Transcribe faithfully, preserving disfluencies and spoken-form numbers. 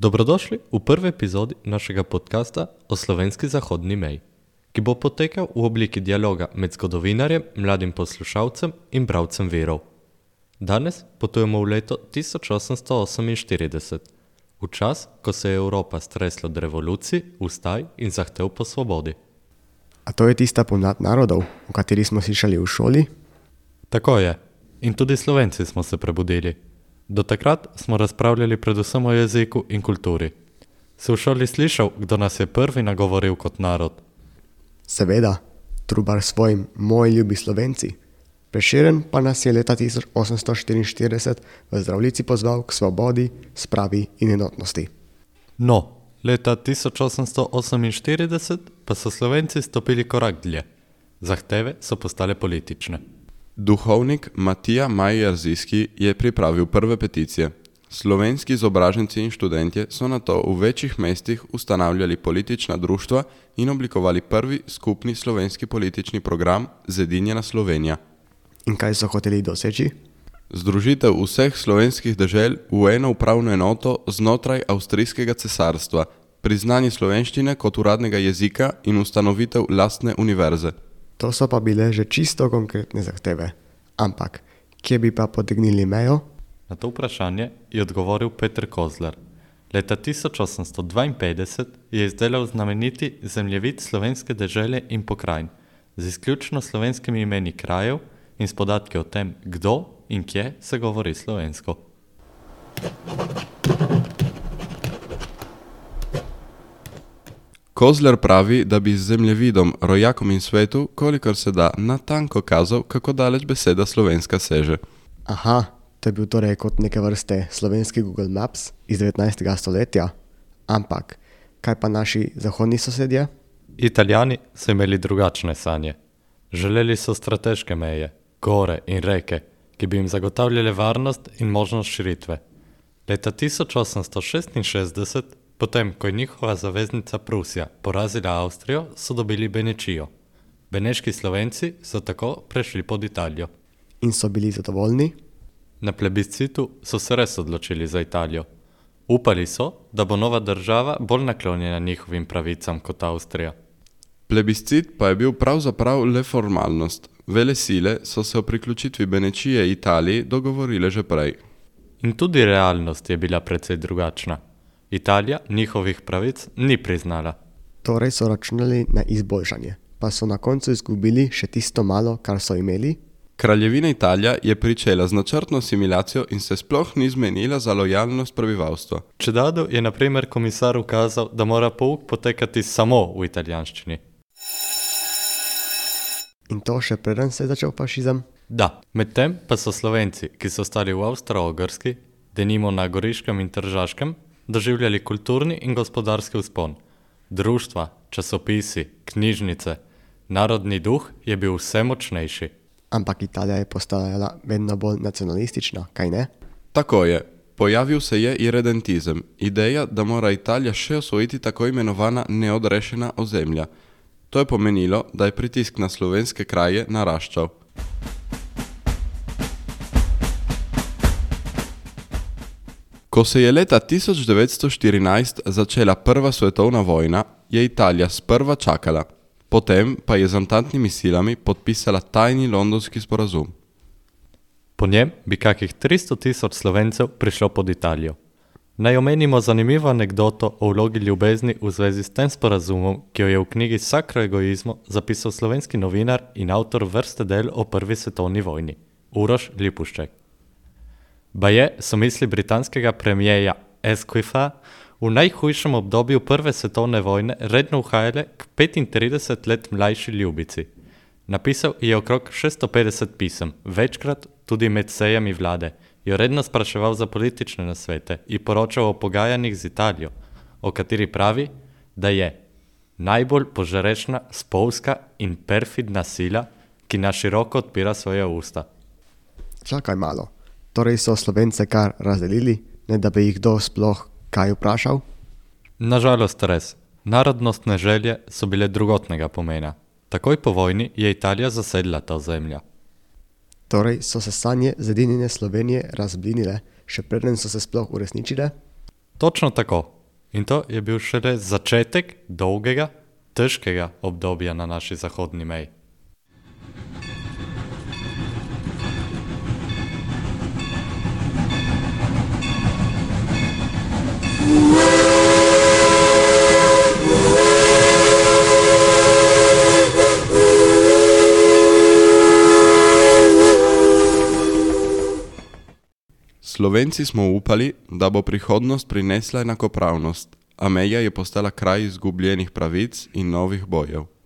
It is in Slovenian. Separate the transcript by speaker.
Speaker 1: Dobrodošli v prvi epizodi našega podcasta o slovenski zahodni meji, ki bo potekal v obliki dialoga med zgodovinarjem, mladim poslušalcem in bralcem virov. Danes potujemo v leto tisoč osemsto oseminštirideset, v čas, ko se je Evropa stresla od revolucij, vstaj in zahtev po svobodi.
Speaker 2: A to je tista pomlad narodov, o kateri smo slišali v šoli?
Speaker 1: Tako je. In tudi Slovenci smo se prebudili. Do takrat smo razpravljali predvsem o jeziku in kulturi. Si v šoli slišal, kdo nas je prvi nagovoril kot narod?
Speaker 2: Seveda, Trubar svojim Moji ljubi Slovenci. Prešeren pa nas je leta tisoč osemsto štiriinštirideset v Zdravljici pozval k svobodi, spravi in enotnosti.
Speaker 1: No, leta tisoč osemsto oseminštirideset pa so Slovenci stopili korak dlje. Zahteve so postale politične.
Speaker 3: Duhovnik Matija Maj-Jarzijski je pripravil prve peticije. Slovenski izobraženci in študentje so nato v večjih mestih ustanavljali politična društva in oblikovali prvi skupni slovenski politični program Zedinjena Slovenija.
Speaker 2: In kaj so hoteli doseči?
Speaker 3: Združitev vseh slovenskih dežel v eno upravno enoto znotraj Avstrijskega cesarstva, priznanje slovenščine kot uradnega jezika in ustanovitev lastne univerze.
Speaker 2: To so pa bile že čisto konkretne zahteve. Ampak, kje bi pa potegnili mejo?
Speaker 1: Na to vprašanje je odgovoril Peter Kozler. Leta tisoč osemsto dvainpetdeset je izdelal znameniti zemljevid slovenske dežele in pokrajin z izključno slovenskimi imeni krajev in s podatki o tem, kdo in kje se govori slovensko.
Speaker 3: Kozler pravi, da bi z zemljevidom, rojakom in svetu, kolikor se da, natanko kazal, kako daleč beseda slovenska seže.
Speaker 2: Aha, to je bil torej kot neke vrste slovenski Google Maps iz devetnajstega stoletja. Ampak, kaj pa naši zahodni sosedje?
Speaker 1: Italijani so imeli drugačne sanje. Želeli so strateške meje, gore in reke, ki bi jim zagotavljale varnost in možnost širitve. Leta tisoč osemsto šestinšestdeset, potem ko je njihova zaveznica Prusija porazila Avstrijo, so dobili Benečijo. Beneški Slovenci so tako prešli pod Italijo.
Speaker 2: In so bili zadovoljni?
Speaker 1: Na plebiscitu so se res odločili za Italijo. Upali so, da bo nova država bolj naklonjena njihovim pravicam kot Avstrija.
Speaker 3: Plebiscit pa je bil pravzaprav le formalnost. Vele sile so se o priključitvi Benečije Italiji dogovorile že prej.
Speaker 1: In tudi realnost je bila precej drugačna. Italija njihovih pravic ni priznala.
Speaker 2: Torej so računali na izboljšanje, pa so na koncu izgubili še tisto malo, kar so imeli?
Speaker 3: Kraljevina Italija je pričela z načrtno asimilacijo in se sploh ni zmenila za lojalnost prebivalstva.
Speaker 1: Čedadu je na primer komisar ukazal, da mora pouk potekati samo v italijanščini.
Speaker 2: In to še preden se je začel fašizem?
Speaker 1: Da, medtem pa so Slovenci, ki so stali v Avstro-Ogrski, denimo na Goriškem in Tržaškem, doživljali kulturni in gospodarski vzpon. Društva, časopisi, knjižnice, narodni duh je bil vse močnejši.
Speaker 2: Ampak Italija je postajala vedno bolj nacionalistična, kaj ne?
Speaker 3: Tako je. Pojavil se je irredentizem, ideja, da mora Italija še osvojiti tako imenovana neodrešena ozemlja. To je pomenilo, da je pritisk na slovenske kraje naraščal. Ko se je leta tisoč devetsto štirinajst začela prva svetovna vojna, je Italija sprva čakala, potem pa je z ententnimi silami podpisala tajni londonski sporazum.
Speaker 1: Po njem bi kakih tristo tisoč Slovencev prišlo pod Italijo. Naj omenimo zanimivo anekdoto o vlogi ljubezni v zvezi s tem sporazumom, ki jo je v knjigi Sakro egoizmo zapisal slovenski novinar in avtor vrste del o prvi svetovni vojni, Uroš Lipušček. Baje so misli britanskega premijeja Asquitha v najhujšem obdobju prve svetovne vojne redno uhajale k petintrideset let mlajši ljubici. Napisal je okrog šeststo petdeset pisem, večkrat tudi med sejami vlade, jo redno spraševal za politične nasvete in poročal o pogajanjih z Italijo, o kateri pravi, da je najbolj požrešna, spolska in perfidna sila, ki na široko odpira svoje usta.
Speaker 2: Čakaj malo. Torej so Slovence kar razdelili, ne da bi jih kdo sploh kaj vprašal?
Speaker 1: Nažalost res. Narodnostne želje so bile drugotnega pomena. Takoj po vojni je Italija zasedla ta ozemlja.
Speaker 2: Torej so se sanje zedinjene Slovenije razblinile, še preden so se sploh uresničile?
Speaker 1: Točno tako. In to je bil šele začetek dolgega, težkega obdobja na naši zahodni meji.
Speaker 3: Slovenci smo upali, da bo prihodnost prinesla enakopravnost, a meja je postala kraj izgubljenih pravic in novih bojev.